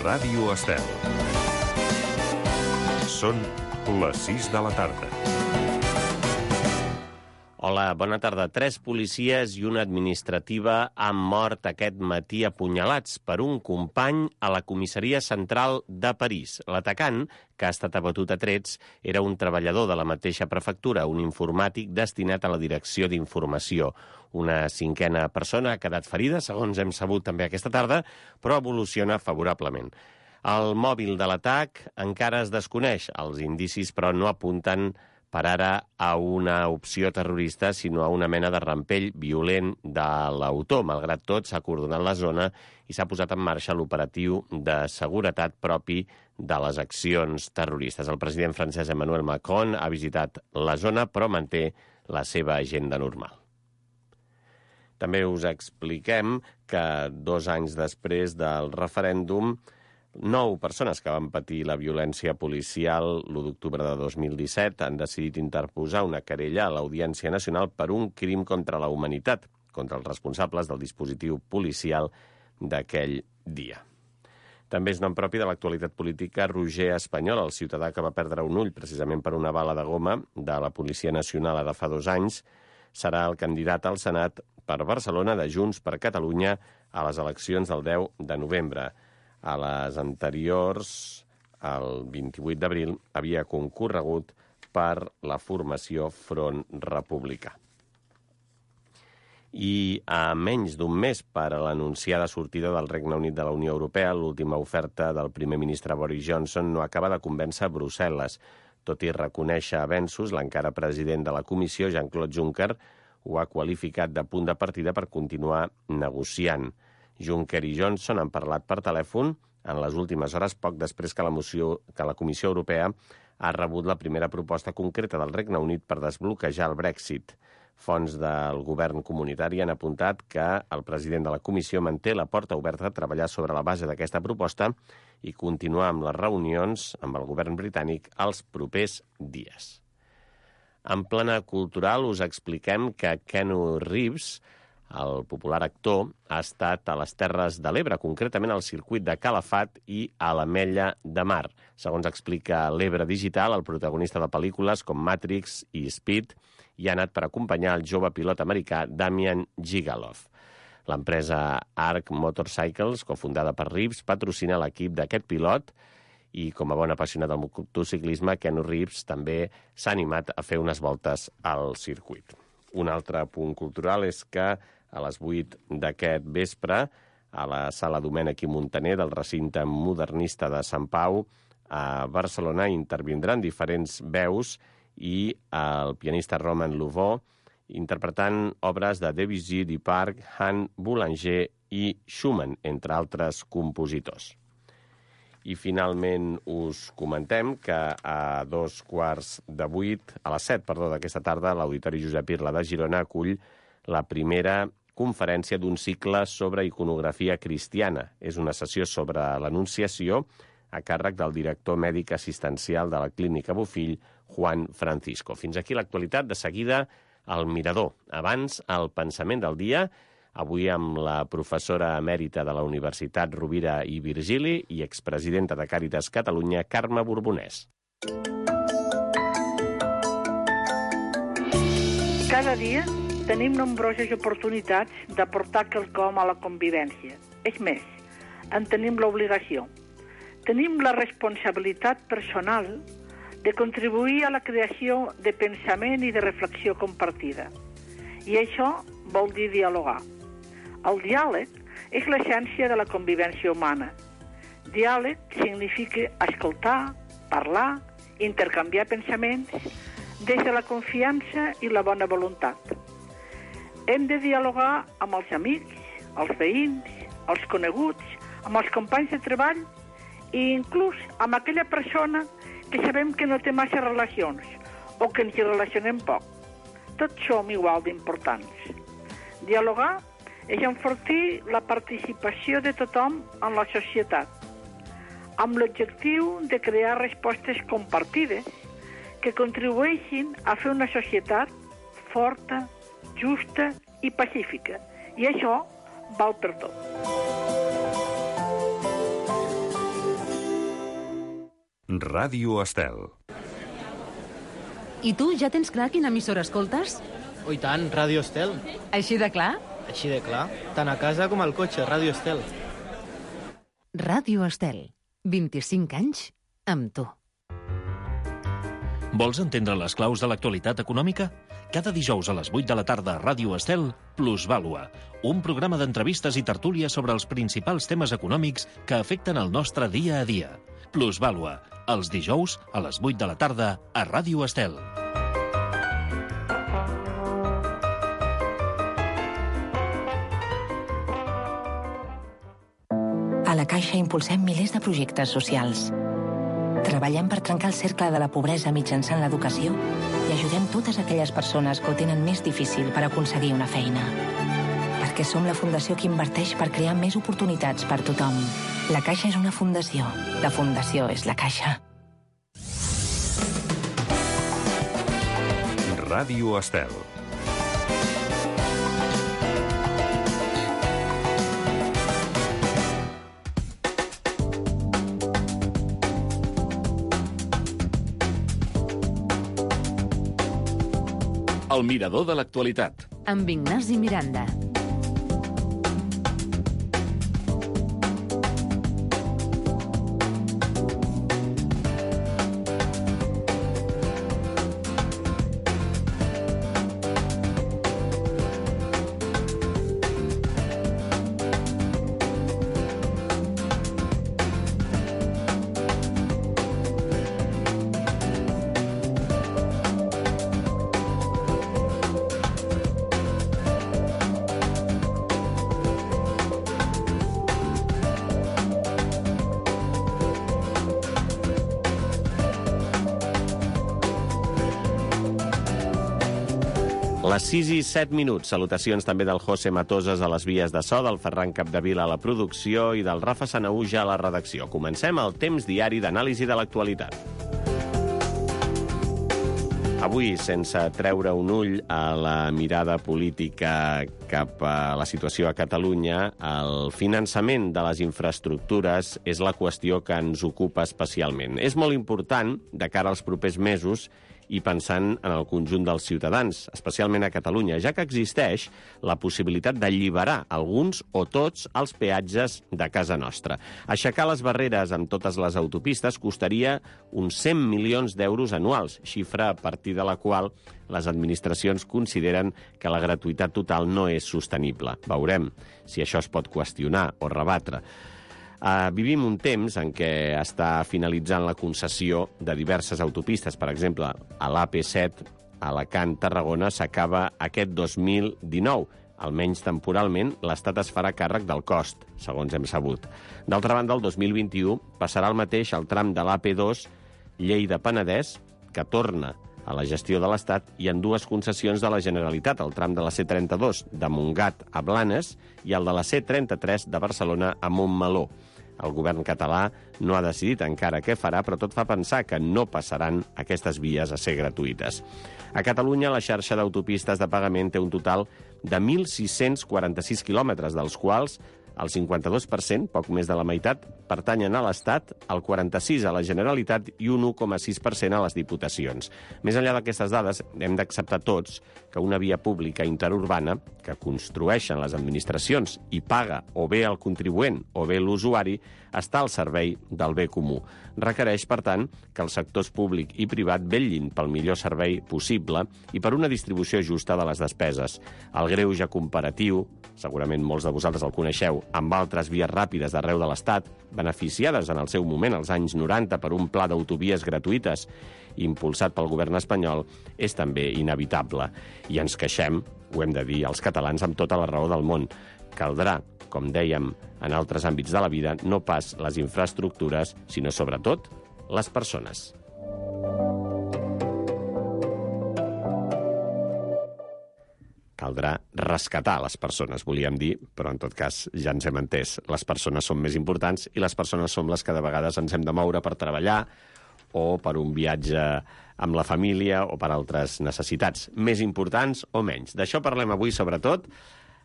Ràdio Estel. Són les 6 de la tarda. Hola, bona tarda. 3 policies i una administrativa han mort aquest matí apunyalats per un company a la comissaria central de París. L'atacant, que ha estat abatut a trets, era un treballador de la mateixa prefectura, un informàtic destinat a la direcció d'informació. Una 5a persona ha quedat ferida, segons hem sabut també aquesta tarda, però evoluciona favorablement. El mòbil de l'atac encara es desconeix. Els indicis, però, no apunten per ara a una opció terrorista, sinó a una mena de rampell violent de l'autor. Malgrat tot, s'ha acordonat la zona i s'ha posat en marxa l'operatiu de seguretat propi de les accions terroristes. El president francès Emmanuel Macron ha visitat la zona, però manté la seva agenda normal. També us expliquem que 2 anys després del referèndum, 9 persones que van patir la violència policial l'1 d'octubre de 2017 han decidit interposar una querella a l'Audiència Nacional per un crim contra la humanitat, contra els responsables del dispositiu policial d'aquell dia. També és nom propi de l'actualitat política Roger Espanyol, el ciutadà que va perdre un ull precisament per una bala de goma de la Policia Nacional ara fa 2 anys, serà el candidat al Senat per Barcelona de Junts per Catalunya a les eleccions del 10 de novembre. A les anteriors, el 28 d'abril, havia concorregut per la formació Front Republicà. I a menys d'un mes per a l'anunciada sortida del Regne Unit de la Unió Europea, l'última oferta del primer ministre Boris Johnson no acaba de convèncer Brussel·les. Tot i reconèixer avenços, l'encara president de la Comissió, Jean-Claude Juncker, ho ha qualificat de punt de partida per continuar negociant. Juncker i Johnson han parlat per telèfon en les últimes hores, poc després que la Comissió Europea ha rebut la primera proposta concreta del Regne Unit per desbloquejar el Brexit. Fonts del govern comunitari han apuntat que el president de la Comissió manté la porta oberta a treballar sobre la base d'aquesta proposta i continuar amb les reunions amb el govern britànic els propers dies. En plana cultural us expliquem que Keanu Reeves, el popular actor, ha estat a les Terres de l'Ebre, concretament al circuit de Calafat i a l'Ametlla de Mar. Segons explica l'Ebre Digital, el protagonista de pel·lícules com Matrix i Speed hi ha anat per acompanyar el jove pilot americà Damian Gigaloff. L'empresa Arc Motorcycles, cofundada per Reeves, patrocina l'equip d'aquest pilot i, com a bon apassionat del motociclisme, Keanu Reeves també s'ha animat a fer unes voltes al circuit. Un altre punt cultural és que a les 8 d'aquest vespre, a la Sala Domènech i Montaner del recinte modernista de Sant Pau, a Barcelona, intervindran diferents veus i el pianista Romain Louvaux interpretant obres de Debussy, Duparc, Han, Boulanger i Schumann, entre altres compositors. I finalment us comentem que a 7:15 d'aquesta tarda l'Auditori Josep Irla de Girona acull la primera conferència d'un cicle sobre iconografia cristiana. És una sessió sobre l'Anunciació a càrrec del director mèdic assistencial de la Clínica Bofill, Juan Francisco. Fins aquí l'actualitat. De seguida, el Mirador. Abans, el pensament del dia, avui amb la professora emèrita de la Universitat Rovira i Virgili i expresidenta de Càritas Catalunya, Carme Borbonès. Cada dia tenim nombroses oportunitats d'aportar quelcom a la convivència. És més, en tenim l'obligació. Tenim la responsabilitat personal de contribuir a la creació de pensament i de reflexió compartida. I això vol dir dialogar. El diàleg és l'essència de la convivència humana. Diàleg significa escoltar, parlar, intercanviar pensaments des de la confiança i la bona voluntat. Hem de dialogar amb els amics, els veïns, els coneguts, amb els companys de treball i inclús amb aquella persona que sabem que no té massa relacions o que ens hi relacionem poc. Tots som igual d'importants. Dialogar és enfortir la participació de tothom en la societat, amb l'objectiu de crear respostes compartides que contribueixin a fer una societat forta, justa i pacífica. I això val per tot. Ràdio Estel. I tu ja tens clar quina emissora escoltes? Oh, i tant, Ràdio Estel. Així de clar? Així de clar. Tant a casa com al cotxe, Ràdio Estel. Ràdio Estel. 25 anys amb tu. Vols entendre les claus de l'actualitat econòmica? Cada dijous a les 8 de la tarda a Ràdio Estel, Plusvàlua, un programa d'entrevistes i tertúlies sobre els principals temes econòmics que afecten el nostre dia a dia. Plusvàlua, els dijous a les 8 de la tarda a Ràdio Estel. A la Caixa impulsem milers de projectes socials. Treballem per trencar el cercle de la pobresa mitjançant l'educació i ajudem totes aquelles persones que ho tenen més difícil per aconseguir una feina. Perquè som la fundació que inverteix per crear més oportunitats per tothom. La Caixa és una fundació. La fundació és la Caixa. Ràdio Estel. El mirador de l'actualitat. Amb Ignasi Miranda. Les 6 i 7 minuts. Salutacions també del José Matoses a les vies de so, del Ferran Capdevila a la producció i del Rafa Sanahuja a la redacció. Comencem el temps diari d'anàlisi de l'actualitat. Avui, sense treure un ull a la mirada política cap a la situació a Catalunya, el finançament de les infraestructures és la qüestió que ens ocupa especialment. És molt important, de cara als propers mesos, i pensant en el conjunt dels ciutadans, especialment a Catalunya, ja que existeix la possibilitat d'alliberar alguns o tots els peatges de casa nostra. Aixecar les barreres amb totes les autopistes costaria uns 100 milions d'euros anuals, xifra a partir de la qual les administracions consideren que la gratuïtat total no és sostenible. Veurem si això es pot qüestionar o rebatre. Vivim un temps en què està finalitzant la concessió de diverses autopistes. Per exemple, a l'AP7, Alacant-Tarragona, s'acaba aquest 2019. Almenys temporalment, l'Estat es farà càrrec del cost, segons hem sabut. D'altra banda, el 2021 passarà el mateix al tram de l'AP2 Lleida-Penedès, que torna a la gestió de l'Estat, i en dues concessions de la Generalitat, el tram de la C32 de Montgat a Blanes i el de la C33 de Barcelona a Montmeló. El govern català no ha decidit encara què farà, però tot fa pensar que no passaran aquestes vies a ser gratuïtes. A Catalunya, la xarxa d'autopistes de pagament té un total de 1.646 quilòmetres, dels quals el 52%, poc més de la meitat, pertanyen a l'Estat, el 46% a la Generalitat i un 1,6% a les diputacions. Més enllà d'aquestes dades, hem d'acceptar tots que una via pública interurbana que construeixen les administracions i paga o bé el contribuent o bé l'usuari està al servei del bé comú. Requereix, per tant, que els sectors públic i privat vetllin pel millor servei possible i per una distribució justa de les despeses. El greuge comparatiu, segurament molts de vosaltres el coneixeu, amb altres vies ràpides d'arreu de l'Estat, beneficiades en el seu moment, als anys 90, per un pla d'autovies gratuïtes impulsat pel govern espanyol, és també inevitable. I ens queixem, ho hem de dir, els catalans amb tota la raó del món. Caldrà, com dèiem en altres àmbits de la vida, no pas les infraestructures, sinó sobretot les persones. Caldrà rescatar les persones, volíem dir, però en tot cas ja ens hem entès. Les persones són més importants i les persones som les que de vegades ens hem de moure per treballar o per un viatge amb la família o per altres necessitats, més importants o menys. D'això parlem avui, sobretot,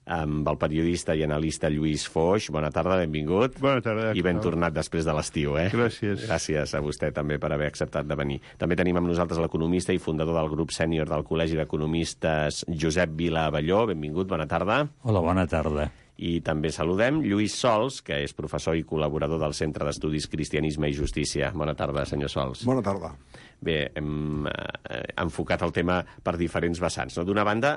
amb el periodista i analista Lluís Foix. Bona tarda, benvingut. Bona tarda. I ben tornat després de l'estiu, Gràcies. Gràcies a vostè també per haver acceptat de venir. També tenim amb nosaltres l'economista i fundador del grup sènior del Col·legi d'Economistes, Josep Vila Abelló. Benvingut, bona tarda. Hola, bona tarda. I també saludem Lluís Sols, que és professor i col·laborador del Centre d'Estudis Cristianisme i Justícia. Bona tarda, senyor Sols. Bona tarda. Bé, hem enfocat el tema per diferents vessants. D'una banda,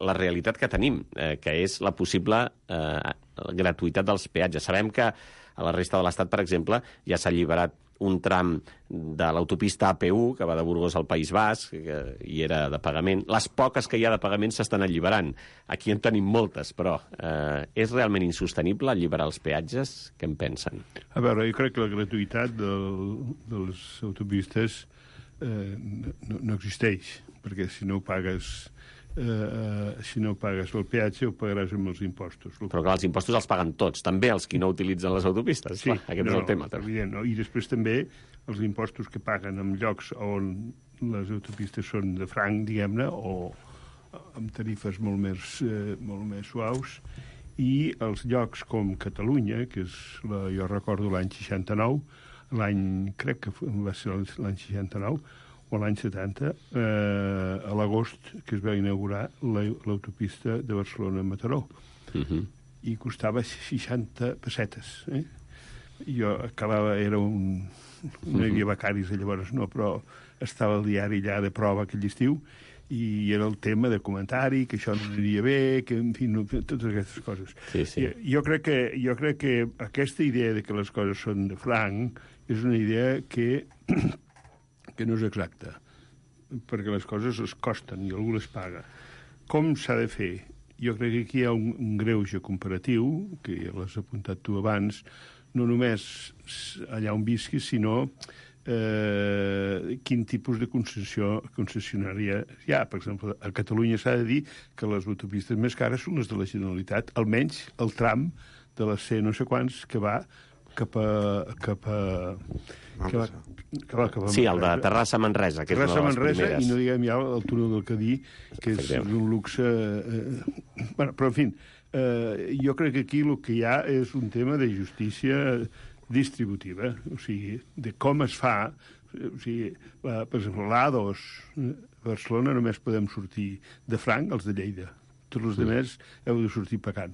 la realitat que tenim, que és la possible gratuïtat dels peatges. Sabem que a la resta de l'Estat, per exemple, ja s'ha alliberat un tram de l'autopista AP1, que va de Burgos al País Basc, i era de pagament. Les poques que hi ha de pagament s'estan alliberant. Aquí en tenim moltes, però és realment insostenible alliberar els peatges? Què en pensen? A veure, jo crec que la gratuïtat dels autopistes no existeix, perquè si no pagues el peatge ho pagaràs amb els impostos. Però clar, els impostos els paguen tots, també els qui no utilitzen les autopistes. Sí, clar, aquest és el tema. Evident, no? I després també els impostos que paguen en llocs on les autopistes són de franc, diguem-ne, o amb tarifes molt més suaus, i els llocs com Catalunya, que és jo recordo l'any 69, crec que va ser l'any 69, o l'any 70, a l'agost, que es va inaugurar l'autopista de Barcelona-Mataró. I costava 60 pessetes. Jo acabava, no hi havia becaris llavors, no, però estava al diari allà de prova aquell estiu, i era el tema de comentari, que això no aniria bé, que, en fi, totes aquestes coses. Sí. Jo crec que aquesta idea de que les coses són de franc és una idea que no és exacta, perquè les coses es costen i algú les paga. Com s'ha de fer? Jo crec que aquí hi ha un greuge comparatiu, que ja l'has apuntat tu abans, no només allà on visquis, sinó quin tipus de concessionària hi ha. Per exemple, a Catalunya s'ha de dir que les autopistes més cares són les de la Generalitat, almenys el tram de la C no sé quants que va cap a sí, el de Terrassa-Manresa, que és una de les primeres. I no diguem ja el túnel del Cadí, que és un luxe... Però, en fi, jo crec que aquí el que hi ha és un tema de justícia distributiva, o sigui, de com es fa. O sigui, per exemple, l'A2, a Barcelona només podem sortir de franc els de Lleida. Tots els altres heu de sortir pagant.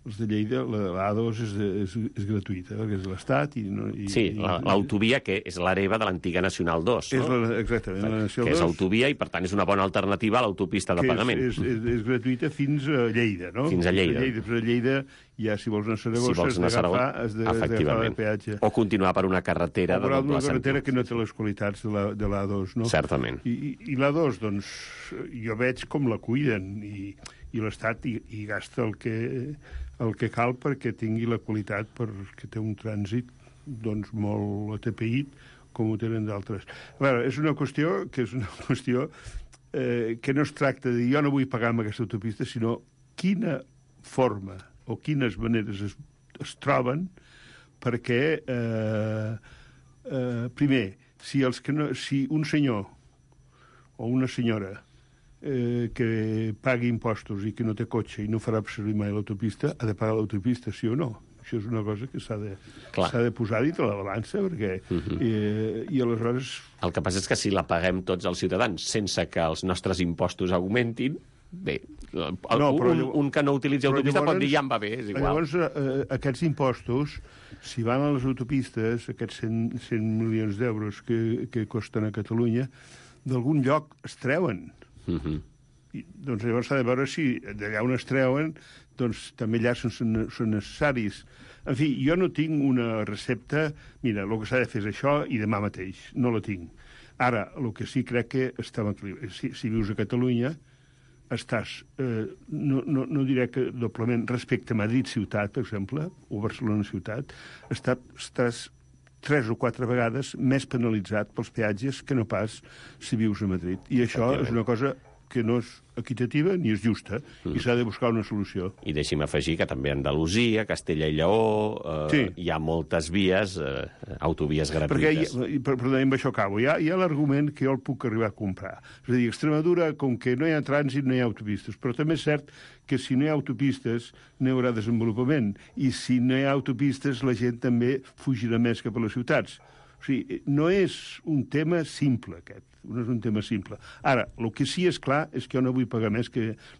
Els de Lleida, l'A2 és gratuïta, perquè és de l'Estat. Sí, l'autovia, que és l'hereva de l'antiga Nacional 2. Exactament, la Nacional 2. Que és autovia i, per tant, és una bona alternativa a l'autopista de pagament. És gratuïta fins a Lleida, no? Fins a Lleida. Però a Lleida, ja si vols anar a Saragossa, has d'agafar el peatge. O continuar per una carretera de doble sentit. Una carretera que no té les qualitats de l'A2, no? Certament. I l'A2, doncs, jo veig com la cuiden, i l'Estat hi gasta el que cal perquè tingui la qualitat, perquè té un trànsit doncs, molt atapeït, com ho tenen d'altres. A veure, és una qüestió que no es tracta de jo no vull pagar amb aquesta autopista, sinó quina forma o quines maneres es troben perquè, primer, si un senyor o una senyora que pagui impostos i que no té cotxe i no farà servir mai l'autopista, ha de pagar l'autopista, sí o no? Això és una cosa que s'ha de posar dins de la balança, perquè... I aleshores... El que passa és que si la paguem tots els ciutadans sense que els nostres impostos augmentin, bé, un que no utilitzi autopista pot dir ja em va bé, és igual. Llavors, aquests impostos, si van a les autopistes, aquests 100 milions d'euros que costen a Catalunya, d'algun lloc es treuen. Doncs llavors s'ha de veure si d'allà on es treuen doncs també allà són necessaris. En fi, jo no tinc una recepta, mira, el que s'ha de fer és això i demà mateix, no la tinc. Ara, el que sí crec que estava si vius a Catalunya, estàs, no diré que doblement respecte a Madrid ciutat, per exemple, o Barcelona ciutat, estàs 3 o 4 vegades més penalitzat pels peatges que no pas si vius a Madrid. I això és una cosa que no és equitativa ni és justa, i s'ha de buscar una solució. I deixi'm afegir que també a Andalusia, Castella i Lleó, hi ha moltes vies, autovies gratuïtes. Perquè, amb això acabo, hi ha l'argument que jo el puc arribar a comprar. És a dir, Extremadura, com que no hi ha trànsit, no hi ha autopistes, però també és cert que si no hi ha autopistes no hi haurà desenvolupament, i si no hi ha autopistes la gent també fugirà més cap a les ciutats. O sigui, no és un tema simple, aquest. No és un tema simple. Ara, el que sí és clar és que jo no vull pagar més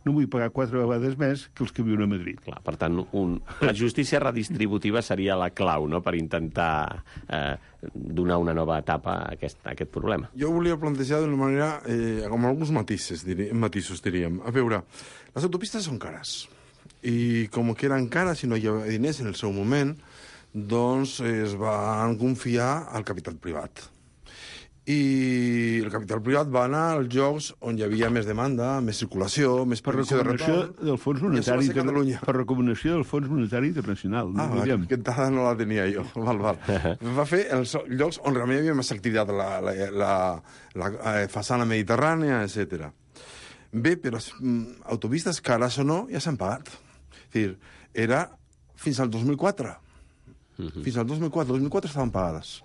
no vull pagar 4 vegades més que els que viuen a Madrid. Clar, per tant, la justícia redistributiva seria la clau, no?, per intentar donar una nova etapa a aquest problema. Jo volia plantejar d'una manera, amb alguns matisos, diríem. A veure, les autopistes són cares. I com que eren cares i no hi havia diners en el seu moment, doncs es van confiar al capital privat. I el capital privat va anar als llocs on hi havia més demanda, més circulació, més previsió de retorn. Per recomanació del Fons Monetari Internacional. Aquesta dada no la tenia jo. Val. Va fer els llocs on realment hi havia més activitat, la façana mediterrània, etc. Bé, però autopistes cares o no ja s'han pagat. És dir, era fins al 2004. Fins al 2004 estaven pagades.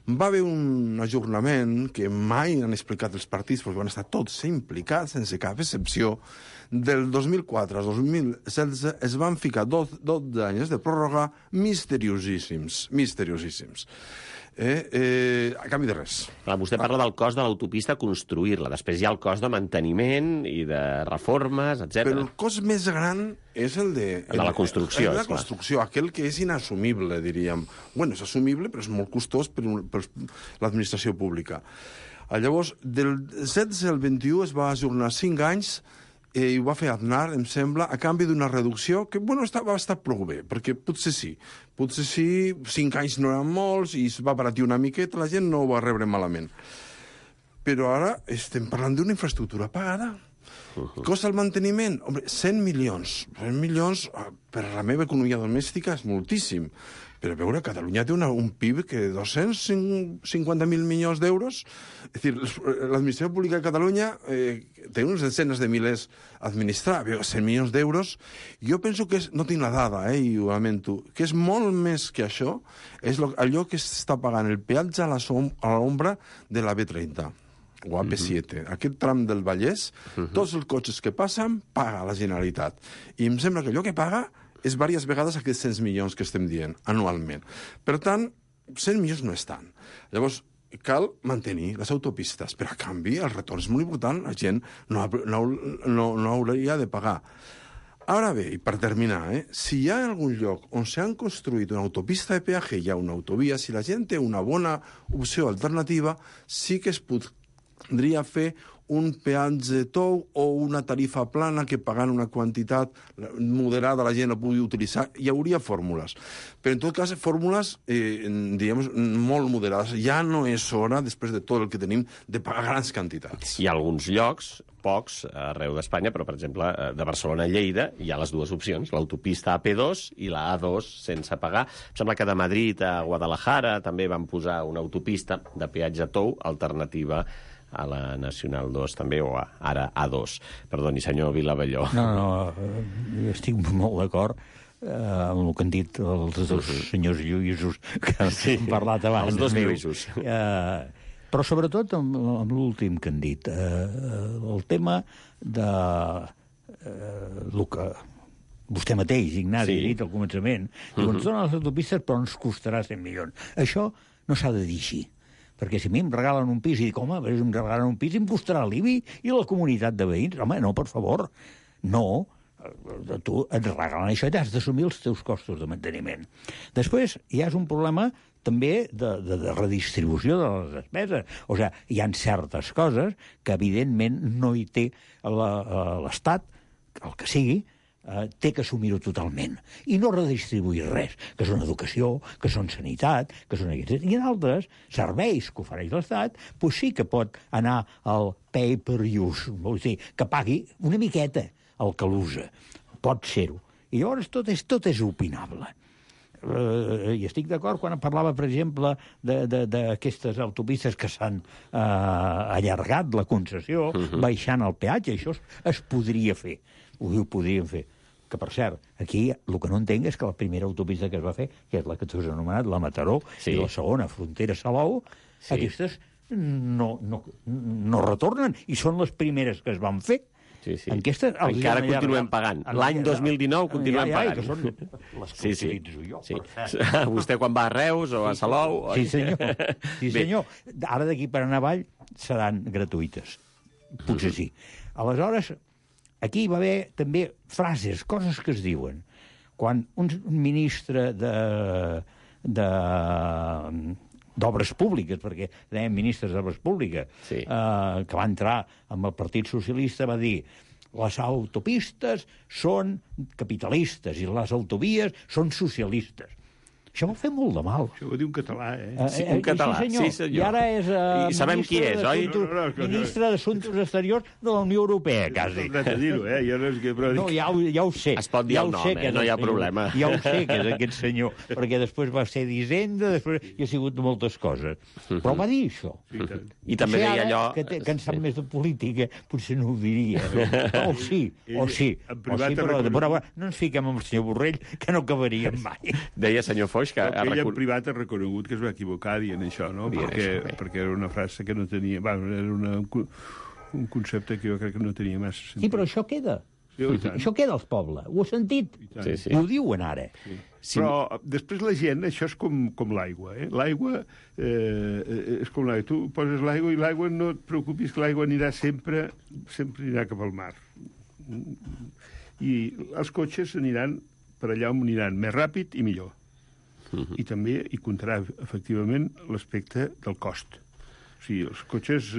Va haver un ajornament que mai han explicat els partits, perquè van estar tots implicats, sense cap excepció. Del 2004 al 2016 es van ficar 12 anys de pròrroga misteriosíssims. A canvi de res. Clar, vostè parla del cost de l'autopista construir-la, després hi ha el cost de manteniment i de reformes, etc. Però el cost més gran és el de la construcció. La construcció, aquell que és inassumible, diríem. Bueno, és assumible, però és molt costós per l'administració pública. Llavors, del 16 al 21 es va ajornar 5 anys i ho va fer Aznar, em sembla, a canvi d'una reducció que, bueno, va estar prou bé, perquè potser sí, 5 anys no eren molts i es va baratir una miqueta, la gent no ho va rebre malament. Però ara estem parlant d'una infraestructura pagada. Costa el manteniment? Home, 100 milions. 100 milions per a la meva economia domèstica és moltíssim. Però a veure, Catalunya té un PIB que 250.000 milions d'euros. És a dir, l'administració pública de Catalunya té unes desenes de milers a administrar. 100 milions d'euros. Jo penso que no tinc la dada, i ho lamento, que és molt més que això. És allò que està pagant el peatge a l'ombra de la B30 o AP7. Aquest tram del Vallès, tots els cotxes que passen, paga la Generalitat. I em sembla que allò que paga és diverses vegades aquests 100 milions que estem dient, anualment. Per tant, 100 milions no és tant. Llavors, cal mantenir les autopistes, però a canvi el retorn és molt important, la gent no hauria de pagar. Ara bé, i per terminar, si hi ha algun lloc on s'han construït una autopista de peatge, hi ha una autovia, si la gent té una bona opció alternativa, sí que es podria fer un peatge tou o una tarifa plana que pagant una quantitat moderada la gent la pugui utilitzar. Hi hauria fórmules. Però en tot cas, fórmules, diguem, molt moderades. Ja no és hora, després de tot el que tenim, de pagar grans quantitats. Hi ha alguns llocs, pocs, arreu d'Espanya, però, per exemple, de Barcelona a Lleida hi ha les dues opcions, l'autopista AP2 i la A2 sense pagar. Em sembla que de Madrid a Guadalajara també van posar una autopista de peatge tou alternativa a la Nacional 2 també, o ara A2. Perdoni, senyor Vilavelló. No, estic molt d'acord amb el que han dit els dos senyors Lluïsos que han parlat abans. Els dos Lluïsos. Però sobretot amb l'últim que han dit. El tema de el que vostè mateix, Ignasi, ha dit al començament. Diu, ens donen les autopistes però ens costarà 100 milions. Això no s'ha de dir així. Perquè si a mi em regalen un pis i dic, home, si em regalen un pis em costarà l'IBI i la comunitat de veïns. Home, no, per favor. No, tu et regalen això i has d'assumir els teus costos de manteniment. Després hi ha un problema també de redistribució de les despeses. O sigui, hi ha certes coses que evidentment no hi té l'Estat, el que sigui, té que assumir-ho totalment i no redistribuir res, que són educació, que són sanitat, que són aquests. I en altres serveis que ofereix l'Estat, doncs sí que pot anar al pay per use, vol dir, que pagui una miqueta el que l'usa. Pot ser-ho. I llavors tot és opinable. i estic d'acord quan parlava, per exemple, d'aquestes autopistes que s'han allargat la concessió, baixant el peatge, això es podria fer, ho podríem fer. Que, per cert, aquí el que no entenc és que la primera autopista que es va fer, que és la que tu has anomenat, la Mataró, i la segona, Frontera-Salou, aquestes no retornen, i són les primeres que es van fer. Encara continuem pagant. L'any 2019 continuem pagant. Que són les que utilitzo jo. Vostè quan va a Reus o a Salou... Sí, senyor. Ara d'aquí per anar avall seran gratuïtes. Potser sí. Aleshores, aquí va haver també frases, coses que es diuen. Quan un ministre d'Obres Públiques, perquè dèiem ministres d'Obres Públiques, que va entrar amb el Partit Socialista, va dir les autopistes són capitalistes i les autovies són socialistes. Això va fer molt de mal. Això ho diu un català, Sí, un català, sí, senyor. I ara és I sabem qui és, oi? Ministre d'Assumptes Exteriors de la Unió Europea, quasi. No t'he dir-ho, No, ja ho sé. Es pot dir el nom, no hi ha problema. Ja ho sé que és aquest senyor, perquè després va ser d'Hisenda, després hi ha sigut moltes coses. Però va dir això. I també deia allò... Que en sap més de política, potser no ho diria. O sí. Però no ens fiquem amb el senyor Borrell, que no acabaríem mai. Deia, senyor Foix, que ell en privat ha reconegut que es va equivocar dient això, no? Perquè era una frase que no tenia... Era un concepte que jo crec que no tenia massa sentit. Sí, però això queda. Això queda als pobles. Ho he sentit. I ho diuen ara. Però després la gent, això és com l'aigua. L'aigua és com l'aigua. Tu poses l'aigua i l'aigua, no et preocupis, que l'aigua anirà sempre anirà cap al mar. I els cotxes aniran per allà on aniran més ràpid i millor. I també hi comptarà, efectivament, l'aspecte del cost. O sigui, els cotxes...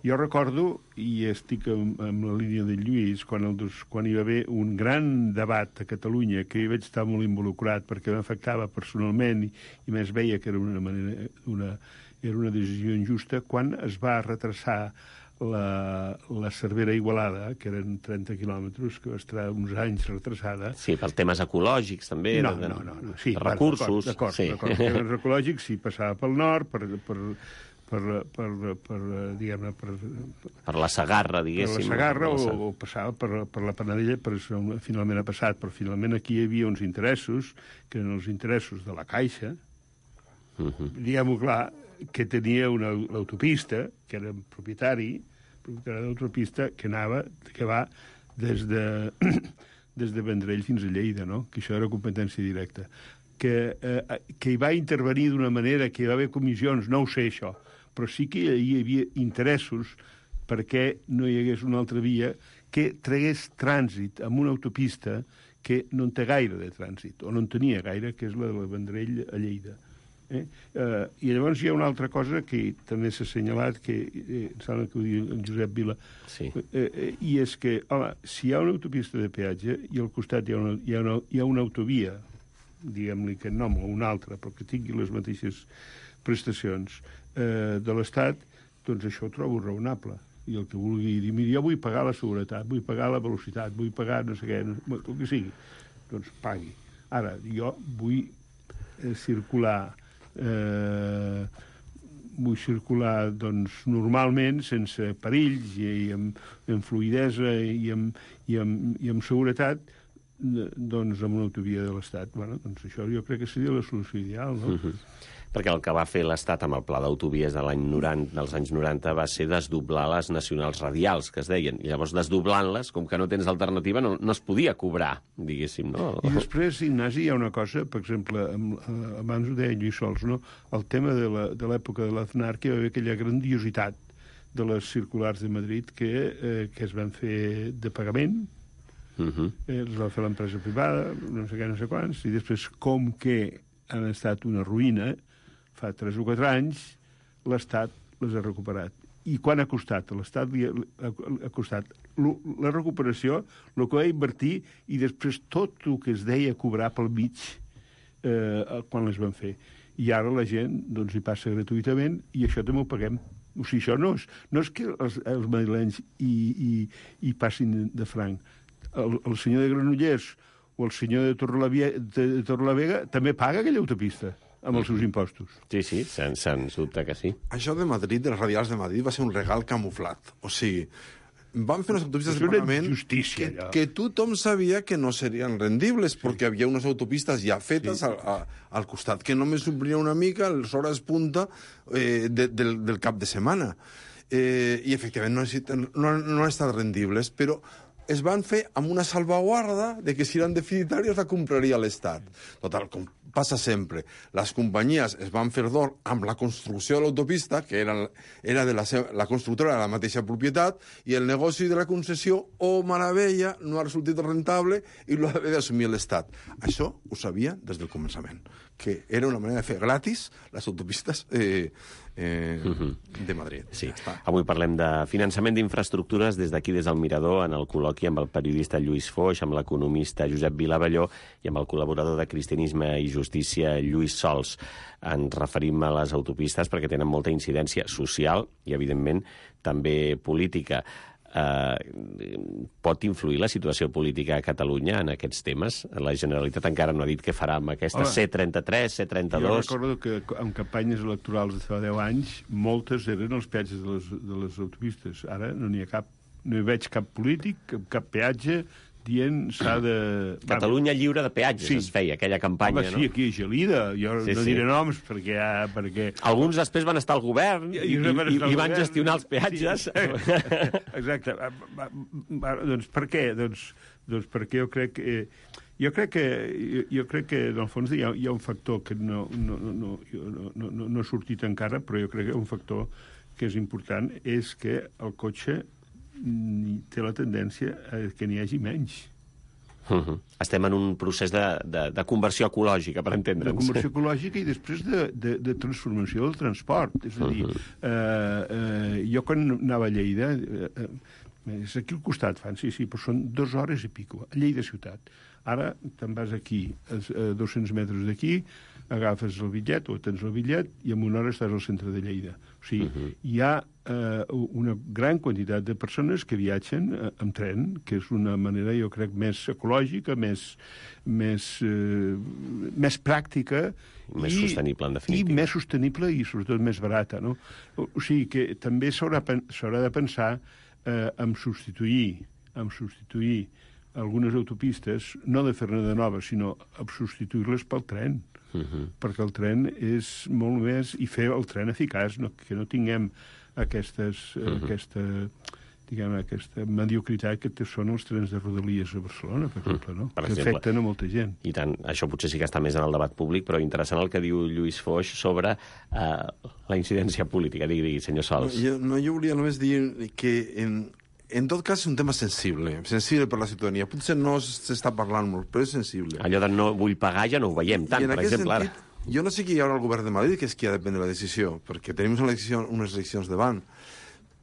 jo recordo, i estic amb la línia de Lluís, quan hi va haver un gran debat a Catalunya, que hi vaig estar molt involucrat perquè m'afectava personalment i més veia que era una decisió injusta, quan es va retrasar la Cervera Igualada, que eren 30 quilòmetres, que va estar uns anys retrasada. Sí, pels temes ecològics, també. No. Sí, recursos. D'acord. Els ecològics, sí, passava pel nord, diguem-ne, per la Segarra, diguéssim. Per la Segarra, o passava per la Panadella, finalment ha passat, però finalment aquí hi havia uns interessos, que eren els interessos de la Caixa, diguem-ho clar, que tenia una autopista, que era propietari de l'autopista, que va des de Vendrell fins a Lleida, no? Que això era competència directa. Que hi va intervenir d'una manera, que hi va haver comissions, no ho sé això, però sí que hi havia interessos perquè no hi hagués una altra via que tragués trànsit amb una autopista que no en té gaire de trànsit, o no en tenia gaire, que és la de Vendrell a Lleida. I llavors hi ha una altra cosa que també s'ha assenyalat, que em sembla que ho diu en Josep Vila, i és que, home, si hi ha una autopista de peatge i al costat hi ha una autovia, diguem-li que nom o una altra, però que tingui les mateixes prestacions de l'Estat, doncs això ho trobo raonable. I el que vulgui dir, mira, jo vull pagar la seguretat, vull pagar la velocitat, vull pagar no sé què, el que sigui, doncs pagui. Ara, jo vull circular doncs, normalment, sense perills i amb fluïdesa i amb seguretat, doncs amb una autovia de l'Estat. Bueno, doncs això jo crec que seria la solució ideal, no? Perquè el que va fer l'Estat amb el pla d'autovies dels anys 90 va ser desdoblar les nacionals radials, que es deien. I llavors, desdoblant-les, com que no tens alternativa, no es podia cobrar, diguéssim, no? I després, Ignasi, hi ha una cosa, per exemple, abans ho deia Lluís Sols, no? El tema de l'època de l'Aznar, que hi va haver aquella grandiositat de les circulars de Madrid que es van fer de pagament, els va fer l'empresa privada, no sé què, no sé quants, i després, com que han estat una ruïna, fa 3 o 4 anys, l'Estat les ha recuperat. I quan ha costat? L'Estat ha costat la recuperació, el que va invertir, i després tot el que es deia cobrar pel mig quan les van fer. I ara la gent doncs, hi passa gratuïtament, i això també ho paguem. O sigui, això no és que els madrilenys hi passin de franc. El senyor de Granollers o el senyor de Torrelavega també paga aquella autopista amb els seus impostos. Sí, sens dubte que sí. Això de Madrid, dels radials de Madrid, va ser un regal camuflat. O sigui, van fer unes autopistes del Parlament que tothom sabia que no serien rendibles, perquè hi havia unes autopistes ja fetes al costat, que només omplien una mica les hores punta del cap de setmana. I, efectivament, no han estat rendibles, però es van fer amb una salvaguarda de que si eren deficitàries la compraria l'Estat. Total, com passa sempre, les companyies es van fer d'or amb la construcció de l'autopista, que era de la constructora de la mateixa propietat, i el negoci de la concessió, meravella, no ha resultat rentable i l'ha d'assumir l'Estat. Això ho sabia des del començament, que era una manera de fer gratis les autopistes de Madrid. Sí. Avui parlem de finançament d'infraestructures des d'aquí, des del Mirador, en el col·loqui amb el periodista Lluís Foix, amb l'economista Josep Vilavelló i amb el col·laborador de Cristianisme i Justícia, Lluís Sols. Ens referim a les autopistes perquè tenen molta incidència social i, evidentment, també política. Pot influir la situació política a Catalunya en aquests temes? La Generalitat encara no ha dit què farà amb aquesta C-33, C-32... Jo recordo que en campanyes electorals de fa 10 anys moltes eren els peatges de les autopistes. Ara no n'hi ha cap, no hi veig cap polític, cap peatge dient s'ha de... Catalunya lliure de peatges, es feia aquella campanya, no? Sí, aquí a Gelida, jo no diré noms perquè... Alguns després van estar al govern i van gestionar els peatges. Exacte. Doncs per què? Doncs perquè jo crec que... Jo crec que, en el fons, hi ha un factor que no ha sortit encara, però jo crec que un factor que és important és que el cotxe té la tendència a que n'hi hagi menys. Estem en un procés de conversió ecològica, per entendre'ns. De conversió ecològica i després de transformació del transport. És a dir, jo quan anava a Lleida, és aquí al costat, fan, sí, però són 2 hores i pico, a Lleida ciutat. Ara te'n vas aquí, a 200 metres d'aquí, agafes el bitllet o tens el bitllet i en una hora estàs al centre de Lleida. O sigui, hi ha una gran quantitat de persones que viatgen amb tren, que és una manera, jo crec, més ecològica, més pràctica... Més sostenible, en definitiva. I més sostenible i, sobretot, més barata, no? O sigui que també s'haurà de pensar en substituir algunes autopistes, no de fer-ne de noves, sinó a substituir-les pel tren. Perquè el tren és molt més... I fer el tren eficaç, que no tinguem aquesta mediocritat que són els trens de Rodalies a Barcelona, per exemple, no? Que afecten a molta gent. I tant. Això potser sí que està més en el debat públic, però interessant el que diu Lluís Foix sobre la incidència política. Digui, senyor Sols. Jo volia només dir que en tot cas és un tema sensible per la ciutadania. Potser no s'està parlant molt, però és sensible. Allò de no vull pagar ja no ho veiem tant, per exemple, ara. Jo no sé qui hi haurà al govern de Madrid, que és qui ha de prendre la decisió, perquè tenim unes eleccions davant.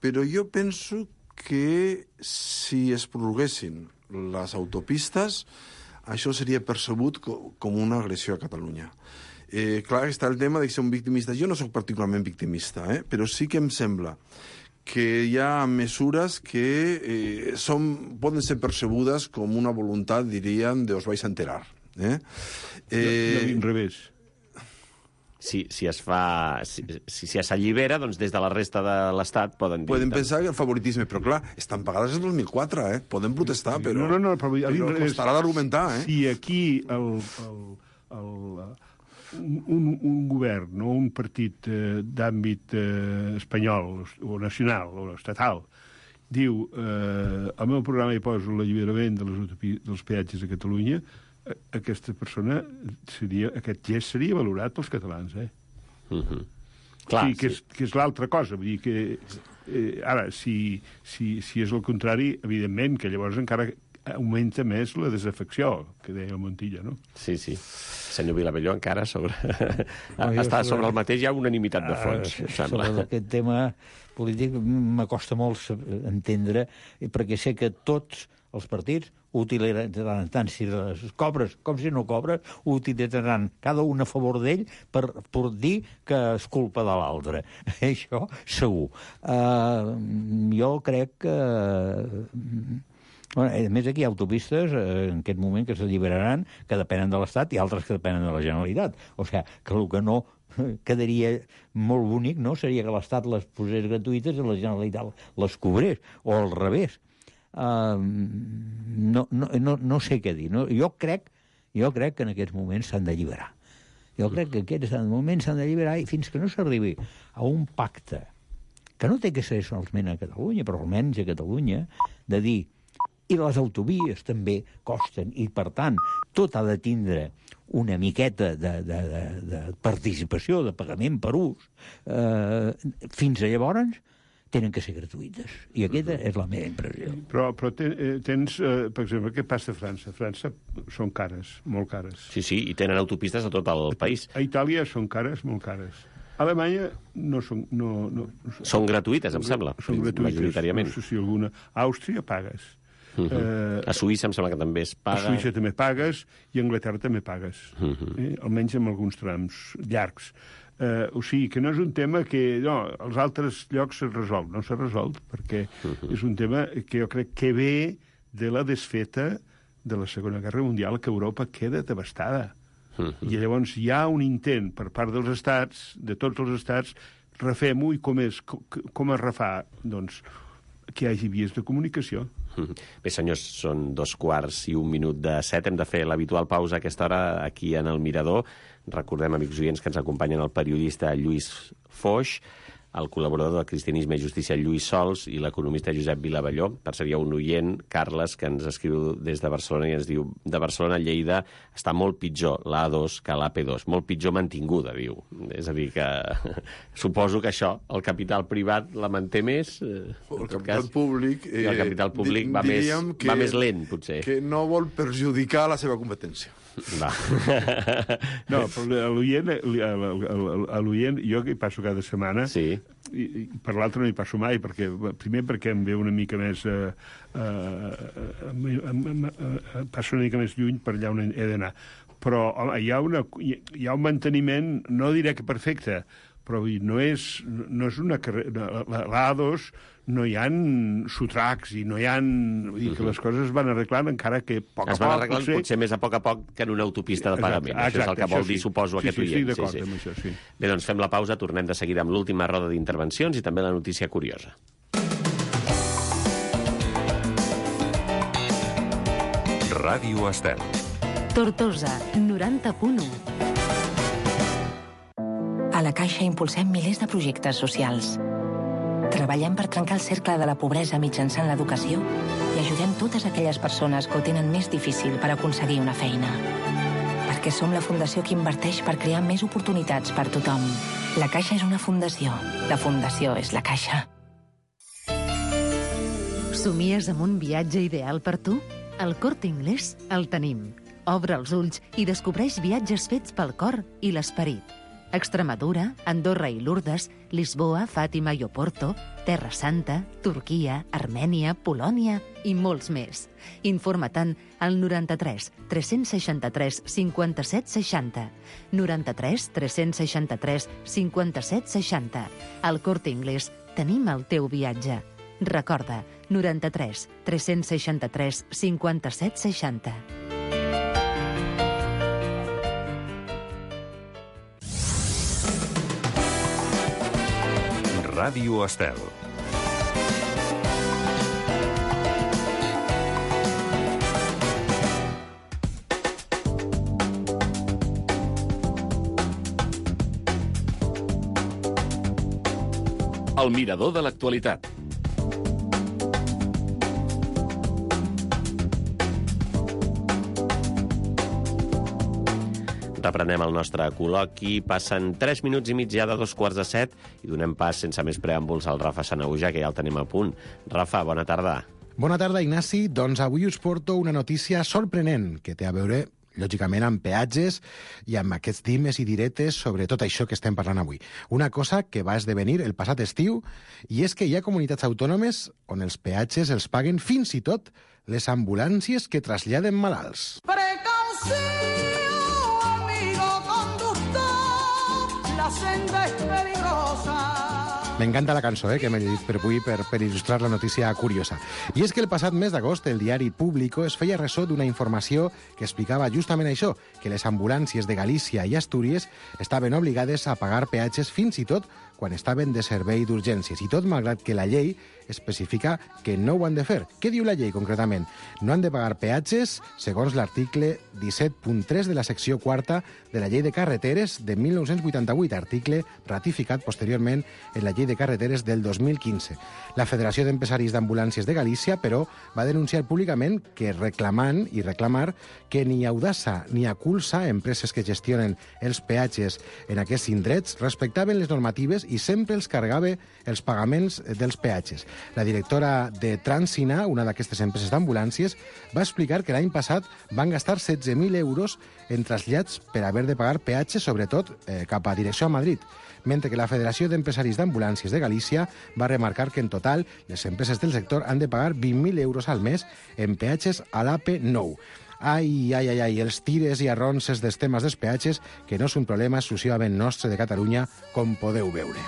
Però jo penso que si es prorroguessin les autopistes, això seria percebut com una agressió a Catalunya. Clar, està el tema de ser un victimista. Jo no sóc particularment victimista, però sí que em sembla que hi ha mesures que poden ser percebudes com una voluntat, diríem, de os vais a enterar. Al revés. Si s'allibera, doncs des de la resta de l'Estat poden dir... Poden pensar que el favoritisme, però clar, estan pagades en 2004, Poden protestar, però costarà d'argumentar, Si aquí un govern, no un partit d'àmbit espanyol o nacional o estatal, diu al meu programa hi poso l'alliberament dels peatges a Catalunya, aquesta persona aquest gest seria valorat pels catalans, Clar, que és l'altra cosa. Vull dir que ara, si és el contrari, evidentment que llavors encara augmenta més la desafecció, que deia el Montilla, no? Sí. Senyor Vilavelló, encara està sobre el mateix, hi ha unanimitat de fons, sobre aquest tema polític m'acosta molt entendre, perquè sé que tots els partits utilitzaran, tant si les cobres com si no cobres, utilitzaran cada un a favor d'ell per dir que és culpa de l'altre. Això segur. Jo crec que Bueno, a més, aquí hi ha autopistes en aquest moment que s'alliberaran, que depenen de l'Estat, i altres que depenen de la Generalitat. O sigui, que el que no quedaria molt bonic, no?, seria que l'Estat les posés gratuïtes i la Generalitat les cobrés, o al revés. No sé què dir. No? Jo crec que en aquests moments s'han d'alliberar. Jo crec que aquests moments s'han d'alliberar i fins que no s'arribi a un pacte, que no té que ser solament a Catalunya, però almenys a Catalunya, de dir, i les autovies també costen, i per tant tot ha de tindre una miqueta de participació, de pagament per ús, fins a llavors tenen que ser gratuïtes. I aquesta és la meva impressió. Però tens, per exemple, què passa a França? A França són cares, molt cares. Sí, i tenen autopistes a tot el país. A Itàlia són cares, molt cares. A Alemanya no són... Són gratuïtes, em sembla, majoritàriament. No sé si alguna... A Àustria pagues. A Suïssa em sembla que també es paga. A Suïssa també pagues i a Anglaterra també pagues. Almenys en alguns trams llargs. O sigui, que no és un tema que... No, als altres llocs s'ha resolt. No s'ha resolt, perquè és un tema que jo crec que ve de la desfeta de la Segona Guerra Mundial, que Europa queda devastada. I llavors hi ha un intent per part dels estats, de tots els estats, refem-ho, i com es refà? Doncs que hi hagi vies de comunicació. Bé, senyors, són 2:01 Hem de fer l'habitual pausa a aquesta hora aquí en el Mirador. Recordem, amics oients, que ens acompanyen el periodista Lluís Foix, el col·laborador de Cristianisme i Justícia Lluís Sols i l'economista Josep Vilavalló. Per cert, hi ha un oient, Carles, que ens escriu des de Barcelona i ens diu: de Barcelona a Lleida està molt pitjor l'A2 que l'AP2. Molt pitjor mantinguda, diu. És a dir, que suposo que això, el capital privat la manté més. El capital públic... El capital públic va més lent, potser. Que no vol perjudicar la seva competència. Va. No, però l'oient, jo que hi passo cada setmana, sí. I per l'altre no hi passo mai, primer perquè em ve una mica més... passo una mica més lluny per allà on he d'anar. Però home, hi ha un manteniment, no diré que perfecte, però no és una carrera... L'A2 no hi ha sotracs i no hi ha... Vull dir que les coses es van arreglant, encara que a poc a poc... Es van arreglant potser més a poc que en una autopista de pagament. Això és el que vol dir, suposo, aquest oient. Sí, d'acord amb això, sí. Bé, doncs fem la pausa, tornem de seguida amb l'última roda d'intervencions i també la notícia curiosa. Ràdio Estel. Tortosa, 90.1. A la Caixa impulsem milers de projectes socials. Treballem per trencar el cercle de la pobresa mitjançant l'educació i ajudem totes aquelles persones que ho tenen més difícil per aconseguir una feina. Perquè som la fundació que inverteix per crear més oportunitats per tothom. La Caixa és una fundació. La fundació és la Caixa. Somies amb un viatge ideal per tu? Al Corte Inglés el tenim. Obre els ulls i descobreix viatges fets pel cor i l'esperit. Extremadura, Andorra i Lourdes, Lisboa, Fàtima i Oporto, Terra Santa, Turquia, Armènia, Polònia i molts més. Informa-te'n al 93 363 57 60. 93 363 57 60. Al Corte Inglés tenim el teu viatge. Recorda, 93 363 57 60. Ràdio Estel. El mirador de l'actualitat. Reprenem el nostre col·loqui. Passen 3 minuts i mig ja de 2:15 i donem pas sense més preàmbuls al Rafa Sanahuja, que ja el tenim a punt. Rafa, bona tarda. Bona tarda, Ignasi. Doncs avui us porto una notícia sorprenent que té a veure, lògicament, amb peatges i amb aquests dimes i diretes sobre tot això que estem parlant avui. Una cosa que va esdevenir el passat estiu, i és que hi ha comunitats autònomes on els peatges els paguen fins i tot les ambulàncies que traslladen malalts. La senda es peligrosa. M'encanta la cançó que m'he llegit per avui per il·lustrar la notícia curiosa. I és que el passat mes d'agost el diari Público es feia ressò d'una informació que explicava justament això, que les ambulàncies de Galícia i Astúries estaven obligades a pagar peatges fins i tot quan estaven de servei d'urgències, i tot malgrat que la llei especifica que no ho han de fer. Què diu la llei, concretament? No han de pagar peatges, segons l'article 17.3 de la secció quarta de la Llei de Carreteres de 1988, article ratificat posteriorment en la Llei de Carreteres del 2015. La Federació d'Empresaris d'Ambulàncies de Galícia, però, va denunciar públicament que reclamar que ni Audasa ni Aculsa, empreses que gestionen els peatges en aquests indrets, respectaven les normatives i sempre els carregava els pagaments dels peatges. La directora de Transina, una d'aquestes empreses d'ambulàncies, va explicar que l'any passat van gastar 16.000 euros en trasllats per haver de pagar peatges, sobretot cap a direcció a Madrid, mentre que la Federació d'Empresaris d'Ambulàncies de Galícia va remarcar que en total les empreses del sector han de pagar 20.000 euros al mes en peatges a l'AP9. Ai, els tires i arronses dels temes dels peatges, que no és un problema exclusivament nostre de Catalunya, com podeu veure.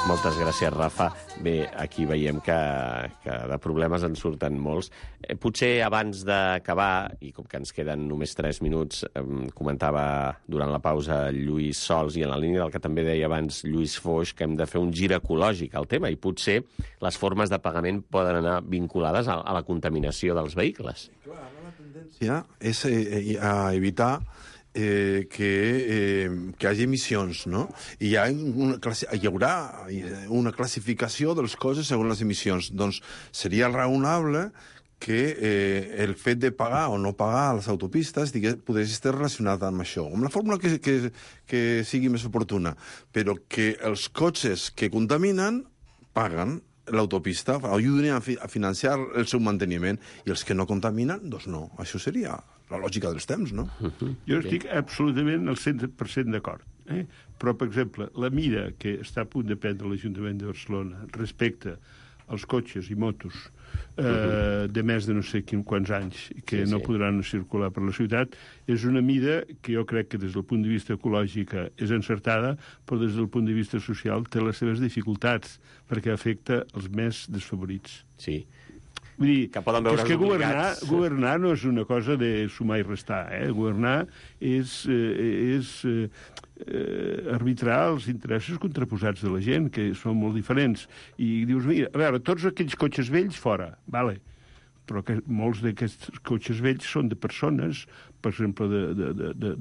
Moltes gràcies, Rafa. Bé, aquí veiem que de problemes en surten molts. Potser abans d'acabar, i com que ens queden només 3 minuts, comentava durant la pausa Lluís Sols, i en la línia del que també deia abans Lluís Foix, que hem de fer un gir ecològic al tema, i potser les formes de pagament poden anar vinculades a la contaminació dels vehicles. Clar, la tendència és a evitar que hi hagi emissions, no? I hi haurà una classificació de les coses segons les emissions. Doncs seria raonable que el fet de pagar o no pagar a les autopistes podria estar relacionat amb això, amb la fórmula que sigui més oportuna, però que els cotxes que contaminen paguen l'autopista, ajuden a financiar el seu manteniment, i els que no contaminen, doncs no. Això seria la lògica dels temps, no? Jo estic absolutament al 100% d'acord. Però, per exemple, la mida que està a punt de prendre l'Ajuntament de Barcelona respecte als cotxes i motos de més de no sé quants anys que no podran circular per la ciutat, és una mida que jo crec que des del punt de vista ecològic és encertada, però des del punt de vista social té les seves dificultats, perquè afecta els més desfavorits. Sí. Vull dir, que poden veure és que governar no és una cosa de sumar i restar. Governar és arbitrar els interessos contraposats de la gent, que són molt diferents. I dius, mira, a veure, tots aquells cotxes vells fora, vale, però que molts d'aquests cotxes vells són de persones, per exemple,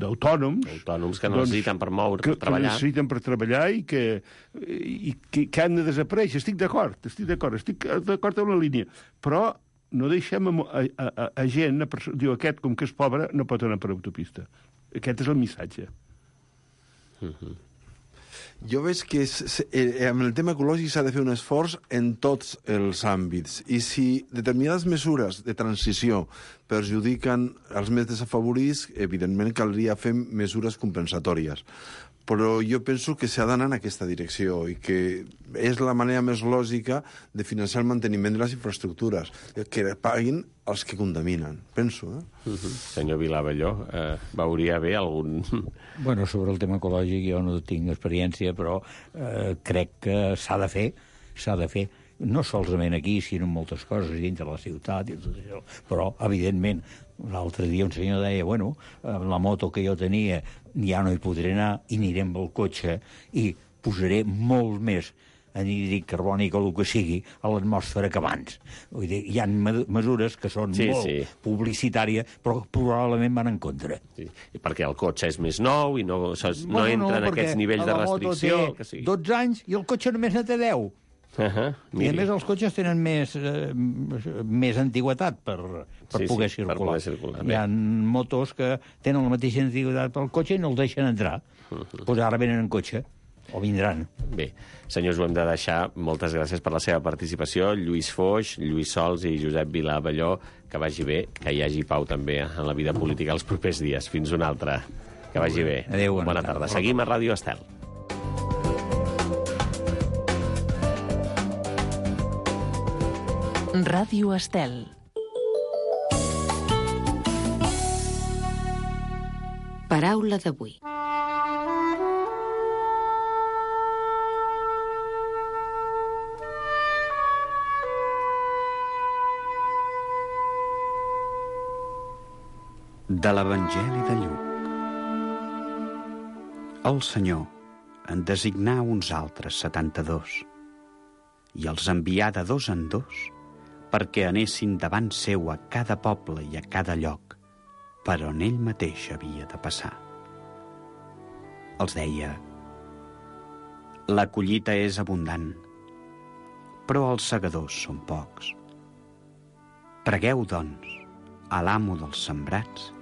d'autònoms. Autònoms que necessiten per moure, per treballar. Que necessiten per treballar i que han de desaparèixer. Estic d'acord amb la línia. Però no deixem a gent, diu, aquest, com que és pobre, no pot anar per autopista. Aquest és el missatge. Jo veig que amb el tema ecològic s'ha de fer un esforç en tots els àmbits, i si determinades mesures de transició perjudiquen els més desafavorits, evidentment caldria fer mesures compensatòries. Però jo penso que s'ha d'anar en aquesta direcció i que és la manera més lògica de financiar el manteniment de les infraestructures, que paguin els que contaminen, penso. Senyor Vilabelló, veuria bé algun... Bueno, sobre el tema ecològic jo no tinc experiència, però crec que s'ha de fer, no solament aquí, sinó en moltes coses dintre la ciutat i tot això. Però, evidentment, l'altre dia un senyor deia, bueno, la moto que jo tenia ja no hi podré anar i aniré amb el cotxe i posaré molt més anhídrid carbònic o el que sigui a l'atmosfera que abans. Vull dir, hi ha mesures que són molt publicitàries, però probablement van en contra. Sí. I perquè el cotxe és més nou i no entra en aquests nivells de restricció. La moto té 12 anys i el cotxe només ne té 10. I a més els cotxes tenen més antigüetat per poder circular. Hi ha motos que tenen la mateixa antigüetat pel cotxe i no el deixen entrar. Doncs ara venen en cotxe, o vindran. Bé, senyors, ho hem de deixar. Moltes gràcies per la seva participació. Lluís Foix, Lluís Sols i Josep Vilabelló. Que vagi bé, que hi hagi pau també en la vida política els propers dies. Fins una altra. Que vagi bé. Adéu, bona tarda. Seguim a Ràdio Estel. Ràdio Estel. Paraula d'avui. De l'Evangeli de Lluc. El Senyor en designà uns altres 72 i els envià de 2 en 2 perquè anessin davant seu a cada poble i a cada lloc per on ell mateix havia de passar. Els deia: la collita és abundant, però els segadors són pocs. Pregueu, doncs, a l'amo dels sembrats